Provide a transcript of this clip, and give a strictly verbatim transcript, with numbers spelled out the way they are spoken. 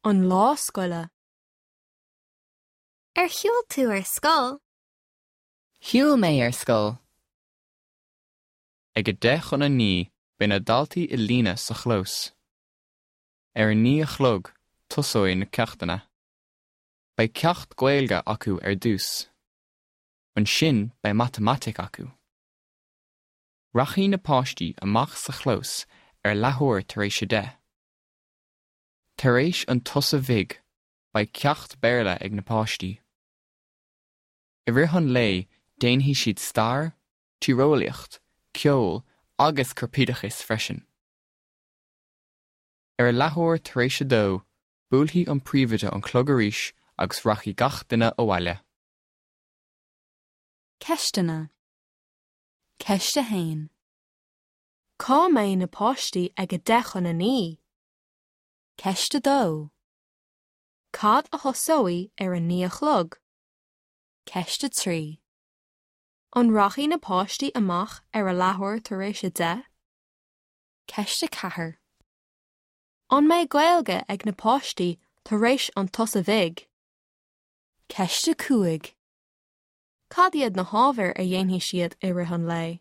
An lá scoile. Ar shiúil tú ar scoil? Shiúil mé ar scoil. Ag a deich chun a naoi beidh na daltaí i líne sa chlós. Ar a naoi a chlog tosóidh na ceachtanna. Beidh ceacht Gaeilge acu ar dtús. Ansin beidh matamaitic acu. Rachaidh na páistí amach sa chlós ar leathuair tar éis a deich. Tar éis an tsosa bhig, beidh ceacht Béarla ag na páistí. I rith an lae déanfaidh siad stair, tíreolaíocht, ceol agus corpoideachas freisin. Ar a leathuair tar éis a dó, buailfidh an príomhoide an clog arís agus rachaidh gach duine abhaile. Ceisteanna. Ceist a haon. Cá mbeidh na páistí ag a deich chun a naoi? Ceist a dó. Cad a thosóidh ar a naoi a chlog? Ceist a trí. An rachaidh na páistí amach ar a leathuair tar éis a deich? Ceist a ceathair. An mbeidh Gaeilge ag na páistí tar éis an tsosa bhig? Ceist a cúig. Cad iad na hábhair a dhéanfaidh siad i rith an lae?